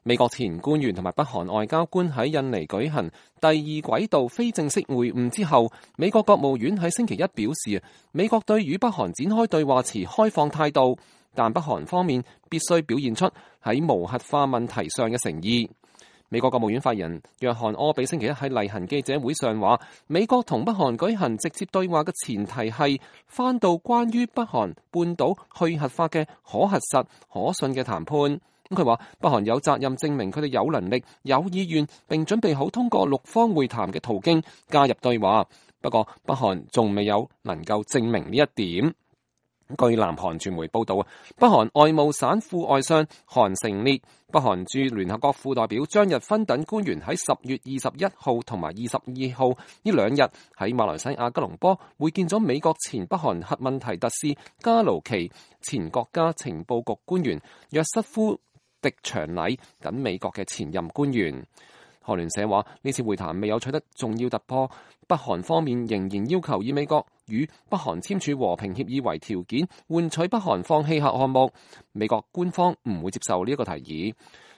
美國前官員同埋北韓外交官喺印尼舉行第二軌道非正式會晤之後，美國國務院喺星期一表示，美國對與北韓展開對話持開放態度，但北韓方面必須表現出喺無核化問題上嘅誠意。美國國務院發言人約翰柯比星期一喺例行記者會上話，美國同北韓舉行直接對話嘅前提係翻到關於北韓半島去核化嘅可核實、可信嘅談判。佢話北韓有責任證明佢哋有能力、有意願，並準備好通過6方會談嘅途徑加入對話。不過北韓仲未有能夠證明呢一點。據南韓傳媒報道，北韓外務省副外相韓成烈、北韓駐聯合國副代表張日勳等官員喺10月21號同埋22號呢2日喺馬來西亞吉隆坡會見咗美國前北韓核問題特使加盧奇、前國家情報局官員約瑟夫狄長禮等美國嘅前任官員。韓聯社話呢次會談未有取得重要突破，北韓方面仍然要求以美國與北韓簽署和平協議為條件，換取北韓放棄核項目。美國官方唔會接受呢一個提議。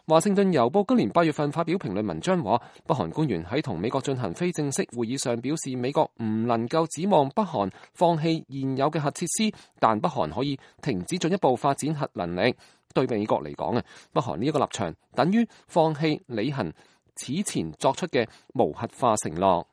華盛頓郵報今年8月份發表評論文章話，北韓官員喺同美國進行非正式會議上表示，美國唔能夠指望北韓放棄現有嘅核設施，但北韓可以停止進一步發展核能力。對美國嚟講，北韓呢一個立場等於放棄履行此前作出嘅無核化承諾。